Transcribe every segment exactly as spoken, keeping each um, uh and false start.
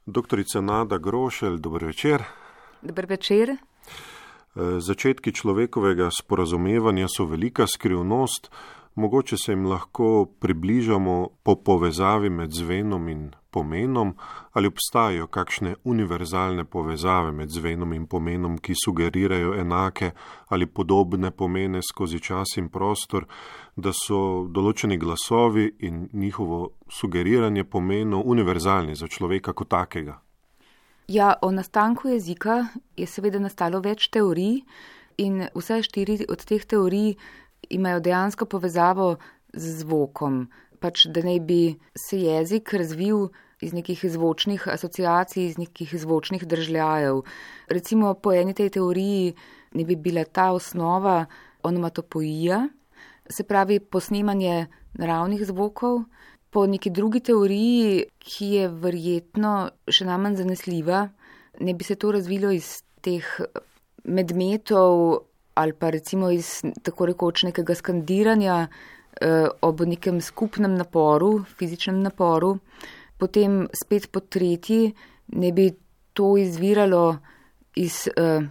Doktorica Nada Grošelj, dober večer. Dober večer. Začetki človekovega sporazumevanja so velika skrivnost, mogoče se jim lahko približamo po povezavi med zvenom in pomenom, ali obstajajo kakšne univerzalne povezave med zvenom in pomenom, ki sugerirajo enake ali podobne pomene skozi čas in prostor, da so določeni glasovi in njihovo sugeriranje pomenov univerzalni za človeka kot takega. Ja, o nastanku jezika je seveda nastalo več teorij in vse štiri od teh teorij imajo dejansko povezavo z zvokom. Pač, da naj bi se jezik razvil iz nekih zvočnih asociacij, iz nekih zvočnih držljajev. Recimo po eni tej teoriji ne bi bila ta osnova onomatopoija, se pravi posnemanje naravnih zvokov. Po neki drugi teoriji, ki je verjetno še najmanj zanesljiva, ne bi se to razvilo iz teh medmetov ali pa recimo iz tako rekoč nekega skandiranja eh, ob nekem skupnem naporu, fizičnem naporu. Potem spet po tretji ne bi to izviralo iz eh,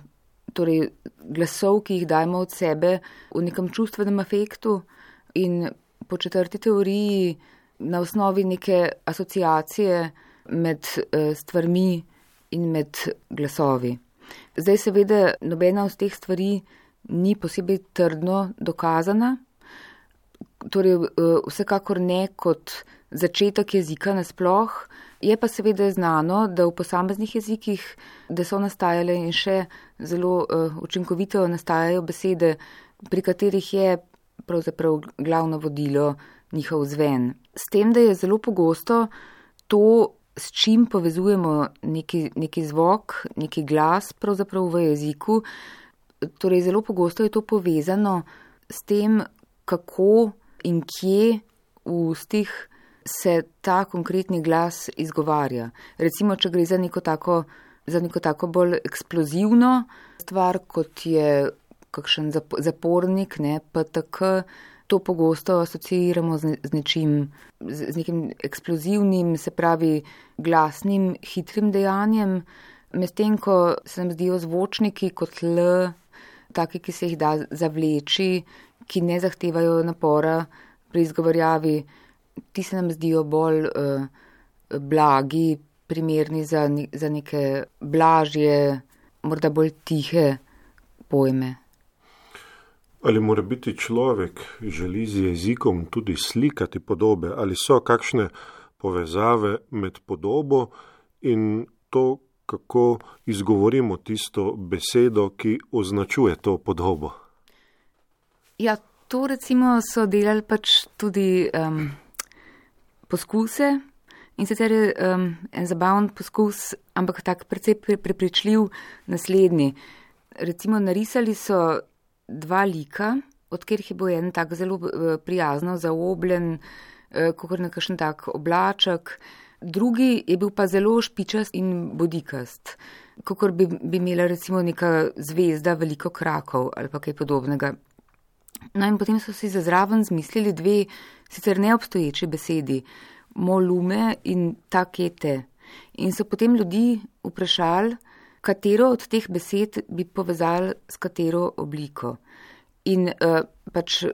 torej glasov, ki jih dajemo od sebe v nekem čustvenem afektu, in po četrti teoriji na osnovi neke asociacije med eh, stvarmi in med glasovi. Zdaj seveda nobena od teh stvari ni posebej trdno dokazana, torej vsekakor ne kot začetek jezika nasploh, je pa seveda znano, da v posameznih jezikih, da so nastajale in še zelo uh, učinkovito nastajajo besede, pri katerih je pravzaprav glavno vodilo njihov zven. S tem, da je zelo pogosto to, s čim povezujemo neki, neki zvok, neki glas pravzaprav v jeziku, torej zelo pogosto je to povezano s tem, kako in kje v ustih se ta konkretni glas izgovarja. Recimo, če gre za neko tako, za neko tako bolj eksplozivno stvar, kot je kakšen zapornik, ne, P T K, to pogosto asociiramo z, z nečim, z, z nekim eksplozivnim, se pravi glasnim, hitrim dejanjem, medtem ko se nam zdijo zvočniki kot L, taki, ki se jih da zavleči, ki ne zahtevajo napora pri izgovarjavi, ti se nam zdijo bolj uh, blagi, primerni za, ne, za neke blažje, morda bolj tihe pojme. Ali mora biti človek želi z jezikom tudi slikati podobe, ali so kakšne povezave med podobo in to, kako izgovorimo tisto besedo, ki označuje to podobo? Ja, to recimo so delali pač tudi um, poskuse, in sicer je um, en zabaven poskus, ampak tak precej prepričljiv naslednji. Recimo narisali so dva lika, od katerih je bil en tak zelo prijazno zaobljen, kakor nekakšen tak oblaček, drugi je bil pa zelo špičast in bodikast, kakor bi, bi imela recimo neka zvezda veliko krakov ali pa kaj podobnega. No in potem so si za zraven zmislili dve sicer neobstoječi besedi, molume in takete. In so potem ljudi vprašali, katero od teh besed bi povezali s katero obliko. In uh, pač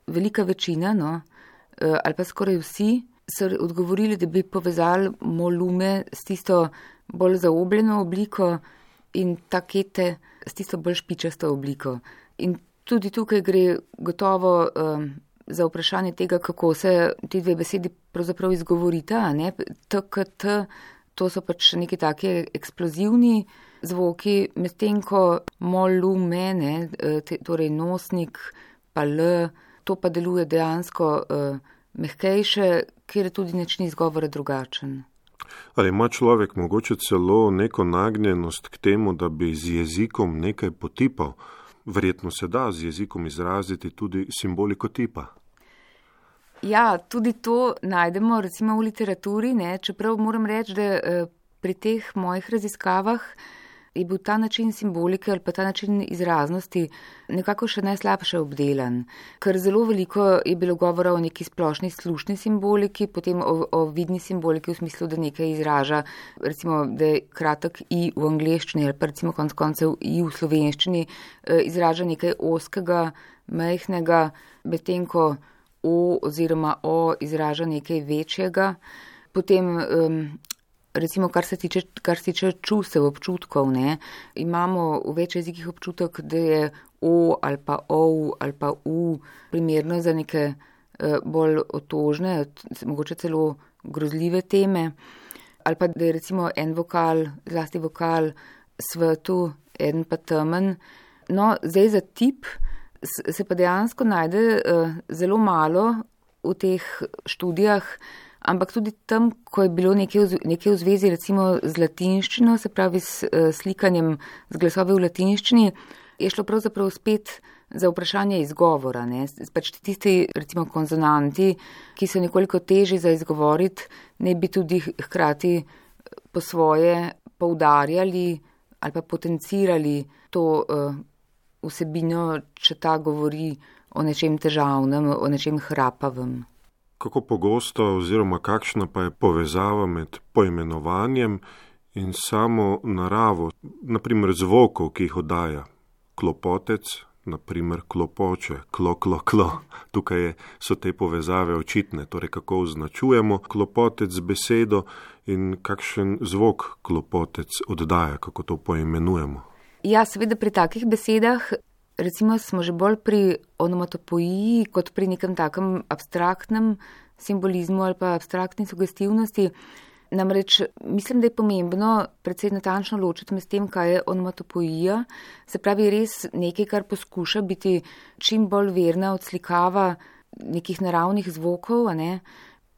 velika večina, no, uh, ali pa skoraj vsi, so odgovorili, da bi povezali molume s tisto bolj zaobljeno obliko in takete s tisto bolj špičasto obliko. In tudi tukaj gre gotovo um, za vprašanje tega, kako se ti dve besedi pravzaprav izgovorita, ne, T K T, to so pač neki taki eksplozivni zvoki, medtem ko molume, ne, te, torej nosnik, pa L, to pa deluje dejansko uh, mehkejše, kjer je tudi način izgovora drugačen. Ali ima človek mogoče celo neko nagnjenost k temu, da bi z jezikom nekaj potipal? Verjetno se da z jezikom izraziti tudi simboliko tipa. Ja, tudi to najdemo recimo v literaturi, ne, čeprav moram reči, da eh, pri teh mojih raziskavah je bil ta način simbolike ali pa ta način izraznosti nekako še najslabše obdelan. Ker zelo veliko je bilo govora o neki splošni slušni simboliki, potem o, o vidni simboliki v smislu, da nekaj izraža, recimo, da je kratek i v angleščini ali pa recimo konc koncev i v slovenščini, izraža nekaj ozkega, majhnega, medtem ko o oziroma o izraža nekaj večjega. Potem um, recimo, kar se tiče, kar se tiče čustev, občutkov, ne, imamo v več jezikih občutek, da je o ali pa ov ali pa u primerno za neke uh, bolj otožne, mogoče celo grozljive teme, ali pa da je recimo en vokal, zlasti vokal svetu, en pa temen. No, zdaj za tip se pa dejansko najde uh, zelo malo v teh študijah, ampak tudi tam, ko je bilo nekaj v, nekaj v zvezi recimo z latinščino, se pravi s uh, slikanjem z glasovi v latinščini, je šlo pravzaprav spet za vprašanje izgovora. Ne? Pač tisti recimo konsonanti, ki so nekoliko težji za izgovoriti, ne bi tudi hkrati po svoje poudarjali ali pa potencirali to uh, vsebino, če ta govori o nečem težavnem, o nečem hrapavem. Kako pogosto oziroma kakšna pa je povezava med poimenovanjem in samo naravo, naprimer zvokov, ki jih oddaja klopotec, naprimer klopoče, klo, klo, klo. Tukaj je, so te povezave očitne, torej kako označujemo klopotec z besedo in kakšen zvok klopotec oddaja, kako to poimenujemo. Ja, seveda pri takih besedah, recimo smo že bolj pri onomatopoiji kot pri nekem takem abstraktnem simbolizmu ali pa abstraktni sugestivnosti. Namreč mislim, da je pomembno predvsej natančno ločiti med tem, kaj je onomatopoija, se pravi res nekaj, kar poskuša biti čim bolj verna odslikava nekih naravnih zvokov, a ne?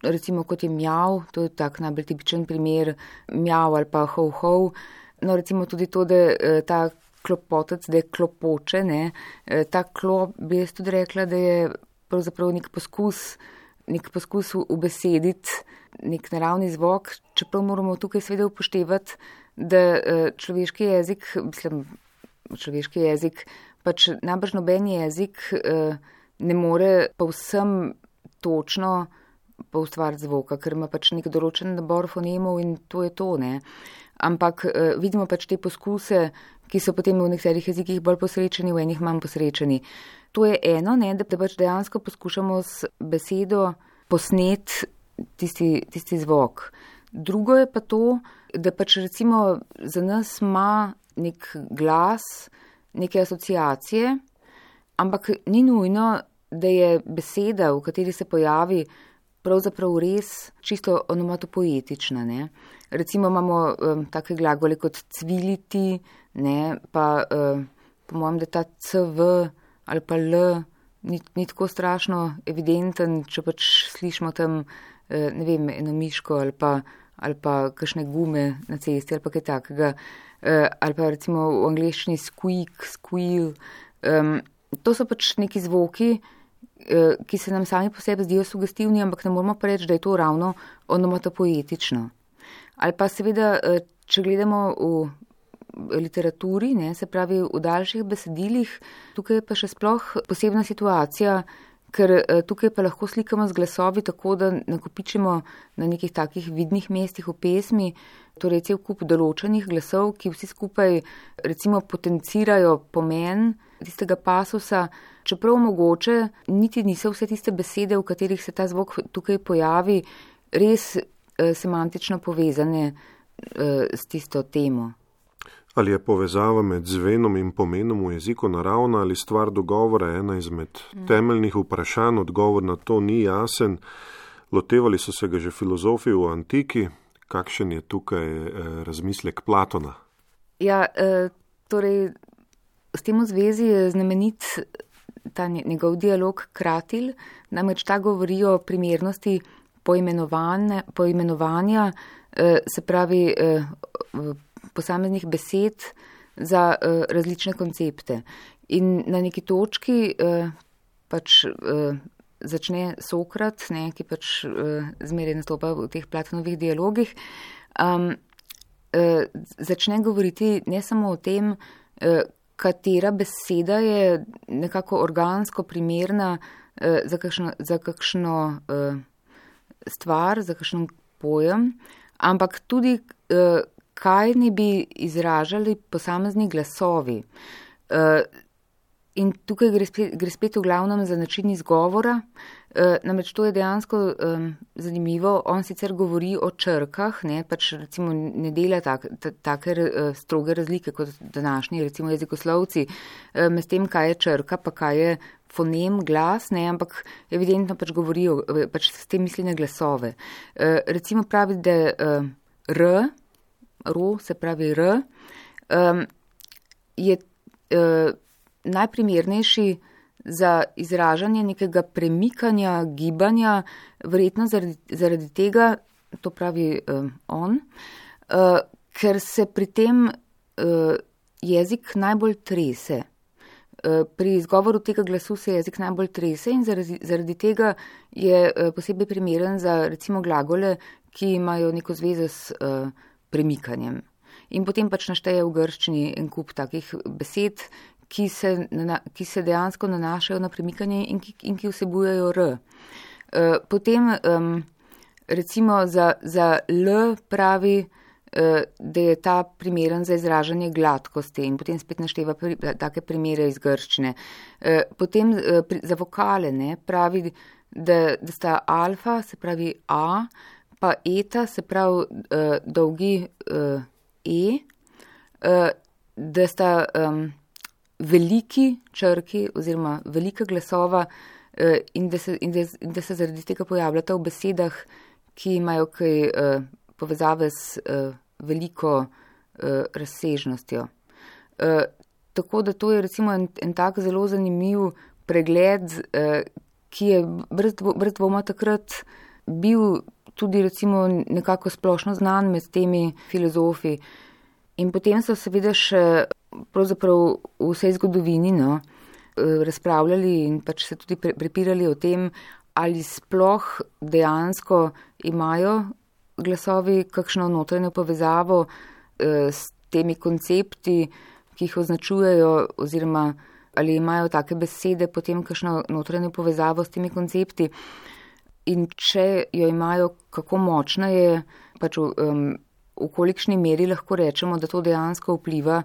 Recimo kot je mjav, to je tak najbolj tipičen primer, mjav ali pa hov hov. No, recimo tudi to, da ta klopotec, da je klopoče, ne, ta klop, bi jaz tudi rekla, da je pravzaprav nek poskus, nek poskus ubesediti nek naravni zvok, čeprav moramo tukaj seveda upoštevati, da človeški jezik, mislim, človeški jezik, pač najbrž noben jezik ne more povsem točno poustvariti zvoka, ker ima pač nek določen nabor fonemov in to je to, ne. Ampak uh, vidimo pač te poskuse, ki so potem v nekaterih jezikih bolj posrečeni, v enih manj posrečeni. To je eno, ne, da pač dejansko poskušamo s besedo posnet tisti, tisti zvok. Drugo je pa to, da pač recimo za nas ima nek glas, neke asociacije, ampak ni nujno, da je beseda, v kateri se pojavi, pravzaprav res čisto onomatopoetična, ne. Recimo imamo um, take glagole kot cviliti, ne, pa um, po mojem, da ta cv ali pa l ni, ni tako strašno evidenten, če pač slišimo tam, uh, ne vem, eno miško ali pa, ali pa kakšne gume na cesti ali pa kaj takega, uh, ali pa recimo v angleščini squeak, squeal. Um, to so pač neki zvoki, uh, ki se nam sami po sebi zdijo sugestivni, ampak ne moramo pa reči, da je to ravno onomatopoetično. Ali pa seveda, če gledamo v literaturi, ne, se pravi v daljših besedilih, tukaj je pa še sploh posebna situacija, ker tukaj pa lahko slikamo z glasovi tako, da nakopičimo na nekih takih vidnih mestih v pesmi, torej cel kup določenih glasov, ki vsi skupaj recimo potencirajo pomen tistega pasusa, čeprav mogoče niti niso vse tiste besede, v katerih se ta zvok tukaj pojavi, res semantično povezane uh, s tisto temo. Ali je povezava med zvenom in pomenom v jeziku naravna ali stvar dogovora ena izmed mm. temeljnih vprašanj, odgovor na to ni jasen. Lotevali so se ga že filozofi v antiki. Kakšen je tukaj eh, razmislek Platona? Ja, eh, torej, s tem v zvezi je znamenit ta njegov dialog Kratil, namreč ta govori o primernosti poimenovanja, se pravi posameznih besed za različne koncepte. In na neki točki pač začne Sokrat, ne, ki pač zmeraj nastopa v teh Platonovih dialogih, uh, začne govoriti ne samo o tem, uh, katera beseda je nekako organsko primerna uh, za kakšno, za kakšno uh, stvar, za kakšen pojem, ampak tudi, uh, kaj ne bi izražali posamezni glasovi. Uh, In tukaj gre spet, gre spet v glavnem za način izgovora, e, namreč to je dejansko um, zanimivo. On sicer govori o črkah, ne, pač recimo ne dela tak, ta, take uh, stroge razlike kot današnji recimo jezikoslovci, uh, med tem, kaj je črka, pa kaj je fonem, glas, ne, ampak evidentno pač govorijo, pač s tem misli na glasove. Uh, recimo pravi, da uh, r, ro, se pravi r, um, je uh, najprimernejši za izražanje nekega premikanja, gibanja, verjetno zaradi, zaradi tega, to pravi uh, on, uh, ker se pri tem uh, jezik najbolj trese. Uh, pri izgovoru tega glasu se jezik najbolj trese in zaradi, zaradi tega je uh, posebej primeren za recimo glagole, ki imajo neko zvezo s uh, premikanjem. In potem pač našteje v grščini en kup takih besed, Ki se, ki se dejansko nanašajo na premikanje in ki, in ki vsebujejo r. E, potem um, recimo za, za l pravi, e, da je ta primeren za izražanje gladkosti in potem spet našteva pri, take primere iz grščine. E, potem e, pri, za vokale ne, pravi, da, da sta alfa, se pravi a, pa eta, se pravi e, dolgi e, e, e, da sta um, veliki črki oziroma velika glasova eh, in, da se, in, da, in da se zaradi tega pojavljata v besedah, ki imajo kaj eh, povezave s eh, veliko eh, razsežnostjo. Eh, tako da to je recimo en, en tak zelo zanimiv pregled, eh, ki je brez, dvo, brez dvoma takrat bil tudi recimo nekako splošno znan med temi filozofi. In potem so seveda še pravzaprav v vsej zgodovini no, razpravljali in pač se tudi prepirali o tem, ali sploh dejansko imajo glasovi kakšno notranjo povezavo s temi koncepti, ki jih označujejo, oziroma ali imajo take besede potem kakšno notranjo povezavo s temi koncepti. In če jo imajo, kako močna je, pač um, v kolikšni meri lahko rečemo, da to dejansko vpliva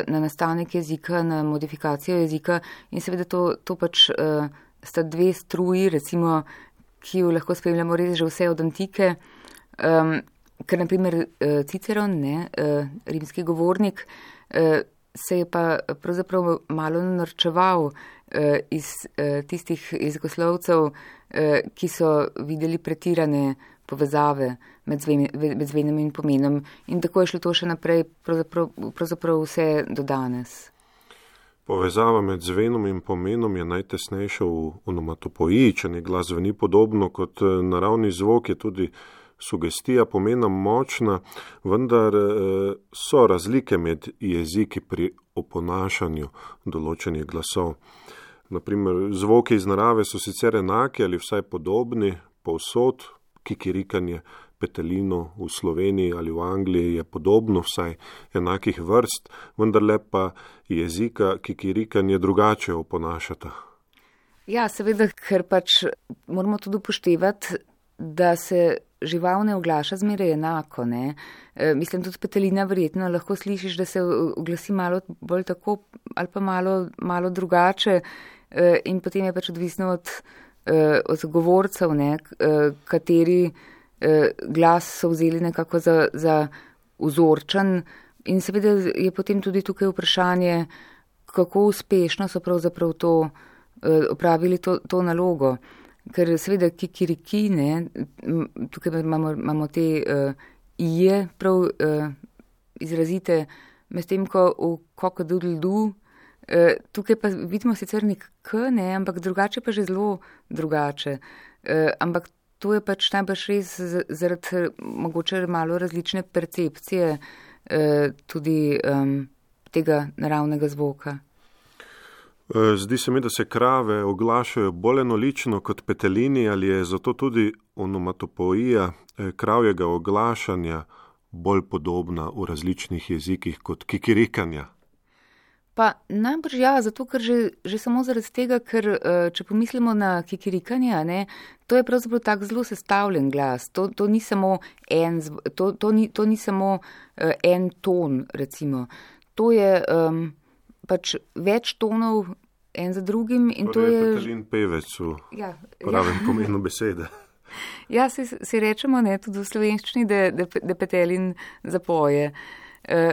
na nastanek jezika, na modifikacijo jezika in seveda to, to pač uh, sta dve struji, recimo, ki jo lahko spremljamo res že vse od antike, um, ker naprimer uh, Ciceron, ne, uh, rimski govornik, uh, se je pa pravzaprav malo norčeval uh, iz uh, tistih jezikoslovcev, uh, ki so videli pretirane povezave med, zven, med zvenom in pomenom. In tako je šlo to še naprej, pravzaprav, pravzaprav vse do danes. Povezava med zvenom in pomenom je najtesnejša v onomatopoiji, če ne glas zveni podobno kot naravni zvok, je tudi sugestija pomena močna, vendar so razlike med jeziki pri oponašanju določenih glasov. Naprimer, zvoki iz narave so sicer enaki ali vsaj podobni, povsod, kikirikanje, petelino v Sloveniji ali v Angliji je podobno, vsaj enakih vrst, vendar le pa jezika kikirikanje drugače oponašata. Ja, seveda, ker pač moramo tudi upoštevati, da se žival ne oglaša zmeraj enako. Ne? E, mislim, tudi petelina verjetno lahko slišiš, da se oglasi malo bolj tako ali pa malo, malo drugače e, in potem je pač odvisno od od govorcev, ne, kateri glas so vzeli nekako za, za vzorčen in seveda je potem tudi tukaj vprašanje, kako uspešno so pravzaprav to opravili to, to nalogo. Ker seveda kikiriki, ne, tukaj imamo, imamo te uh, ije prav uh, izrazite, medtem ko v kokodudldu Uh, tukaj pa vidimo sicer nek k, ne, ampak drugače pa že zelo drugače. Uh, ampak to je pač najbrž res zaradi mogoče malo različne percepcije uh, tudi um, tega naravnega zvoka. Zdi se mi, da se krave oglašajo bolj enolično kot petelini, ali je zato tudi onomatopoija kravjega oglašanja bolj podobna v različnih jezikih kot kikirikanja? Pa najbrž ja, zato ker že, že samo zaradi tega, ker če pomislimo na kikirikanje, ne, to je pravzaprav tak zelo sestavljen glas. To, to ni samo en, to, to ni, to ni samo uh, en ton, recimo. To je um, pač več tonov en za drugim in to, to je... Petelin pevec v ja, pravem ja. pomenu besede. Ja, si, si rečemo, ne, tudi v slovenščini, da, da, da petelin zapoje.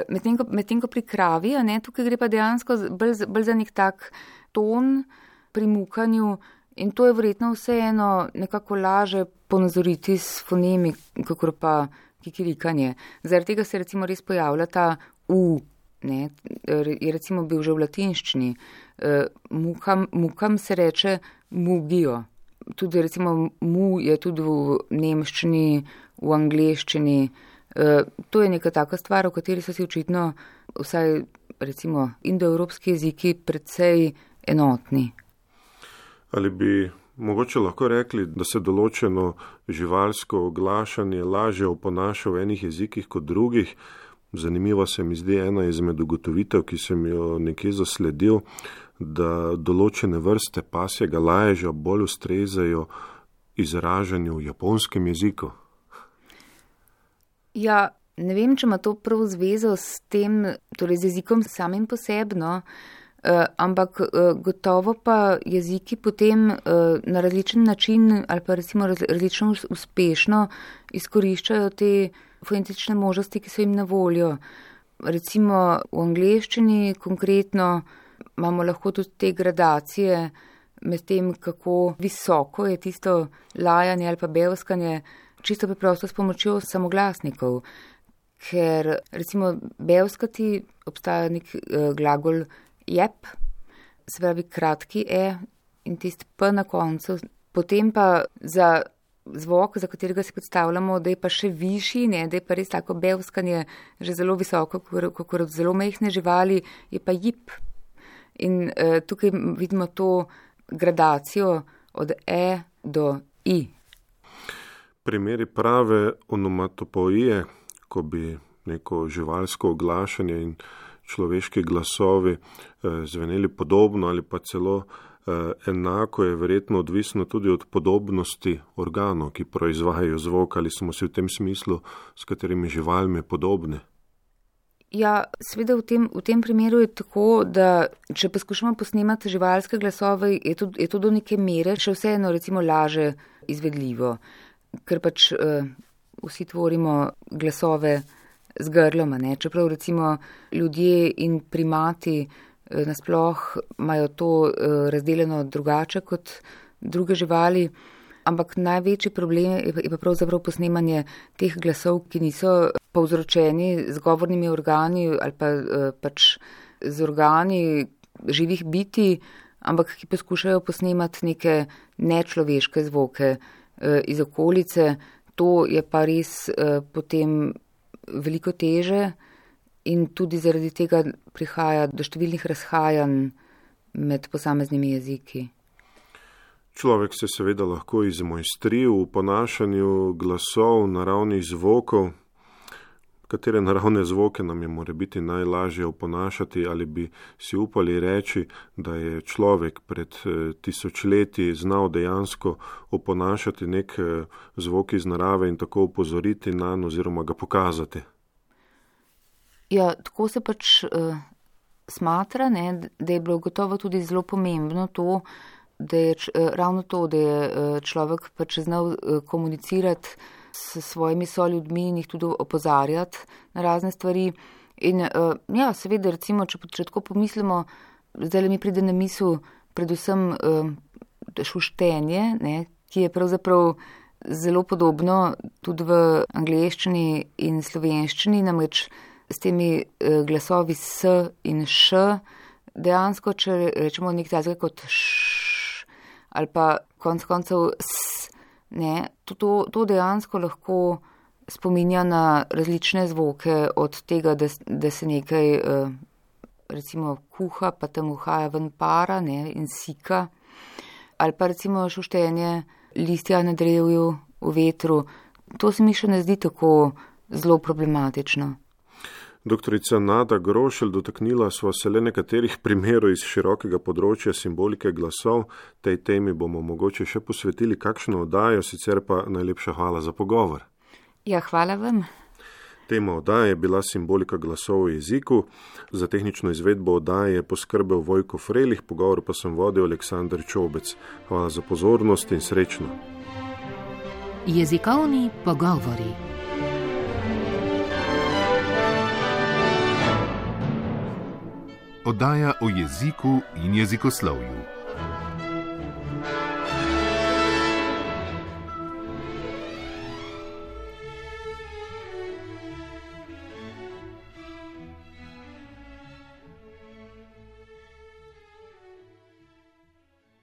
Medtem ko, med ko pri kravi, ne, tukaj gre pa dejansko bolj, bolj za nek tak ton pri mukanju in to je verjetno vseeno nekako laže ponazoriti s fonemi, kakor pa kikirikanje. Zaradi tega se recimo res pojavlja ta U, ne, je recimo bil že v latinščini. Mukam, mukam se reče mugijo. Tudi recimo mu je tudi v nemščini, v angleščini. Uh, to je neka taka stvar, o kateri so si očitno vsaj recimo indoevropski jeziki precej enotni. Ali bi mogoče lahko rekli, da se določeno živalsko oglašanje lažje oponaša v enih jezikih kot drugih? Zanimiva se mi zdi ena izmed ugotovitev, ki sem jo nekje zasledil, da določene vrste pasjega laježa bolj ustrezajo izražanju v japonskem jeziku. Ja, ne vem, če ima to prav zvezo s tem, torej z jezikom samim posebno, eh, ampak eh, gotovo pa jeziki potem eh, na različen način ali pa recimo raz, različno uspešno izkoriščajo te fonetične možnosti, ki so jim na voljo. Recimo v angleščini konkretno imamo lahko tudi te gradacije med tem, kako visoko je tisto lajanje ali pa bevskanje, čisto preprosto s pomočjo samoglasnikov, ker recimo bevskati obstaja nek uh, glagol jep, se pravi kratki e in tisti p na koncu, potem pa za zvok, za katerega si predstavljamo, da je pa še višji, ne, da je pa res tako bevskanje že zelo visoko, kot od zelo mehne živali, je pa jip. In uh, tukaj vidimo to gradacijo od e do i. Primeri prave onomatopoije, ko bi neko živalsko oglašanje in človeški glasovi eh, zveneli podobno ali pa celo eh, enako, je verjetno odvisno tudi od podobnosti organov, ki proizvajajo zvok, ali smo si v tem smislu s katerimi živalmi podobne. Ja, seveda v tem, v tem primeru je tako, da če poskušamo posnemati živalske glasove, je to, je to do neke mere še vseeno recimo laže izvedljivo. Ker pač uh, vsi tvorimo glasove z grloma, ne? Čeprav recimo ljudje in primati uh, nasploh imajo to uh, razdeljeno drugače kot druge živali, ampak največji problem je, je pa pravzaprav posnemanje teh glasov, ki niso povzročeni z govornimi organi ali pa uh, pač z organi živih bitij, ampak ki poskušajo posnemati neke nečloveške zvoke iz okolice, to je pa res eh, potem veliko teže in tudi zaradi tega prihaja do številnih razhajanj med posameznimi jeziki. Človek se seveda lahko izmojstri v ponašanju glasov, naravnih zvokov. Katere naravne zvoke nam je morebiti najlažje oponašati, ali bi si upali reči, da je človek pred tisočletji znal dejansko oponašati nek zvok iz narave in tako upozoriti nanj oziroma ga pokazati? Ja, tako se pač uh, smatra, ne, da je bilo gotovo tudi zelo pomembno to, da je uh, ravno to, da je uh, človek pač znal uh, komunicirati s svojimi soljudmi in jih tudi opozarjati na razne stvari. In uh, ja, seveda, recimo, če, če tako pomislimo, zdaj mi pride na misel predvsem uh, šuštenje, ne, ki je pravzaprav zelo podobno tudi v angleščini in slovenščini, namreč s temi uh, glasovi s in š, dejansko, če rečemo nek tazga kot š, ali pa konc koncev s, ne, to, to, to dejansko lahko spominja na različne zvoke, od tega, da, da se nekaj uh, recimo kuha, pa tam uhaja ven para, ne, in sika, ali pa recimo šuštenje listja na drevju v vetru. To se mi še ne zdi tako zelo problematično. Doktorica Nada Grošelj, dotaknila sva se le nekaterih primerov iz širokega področja simbolike glasov. Tej temi bomo mogoče še posvetili kakšno oddajo, sicer pa najlepša hvala za pogovor. Ja, hvala vam. Tema oddaje je bila simbolika glasov v jeziku. Za tehnično izvedbo oddaje je poskrbel Vojko Frelih, pogovor pa sem vodil Aleksander Čobec. Hvala za pozornost in srečno. Jezikovni pogovori. Oddaja o jeziku in jezikoslovju.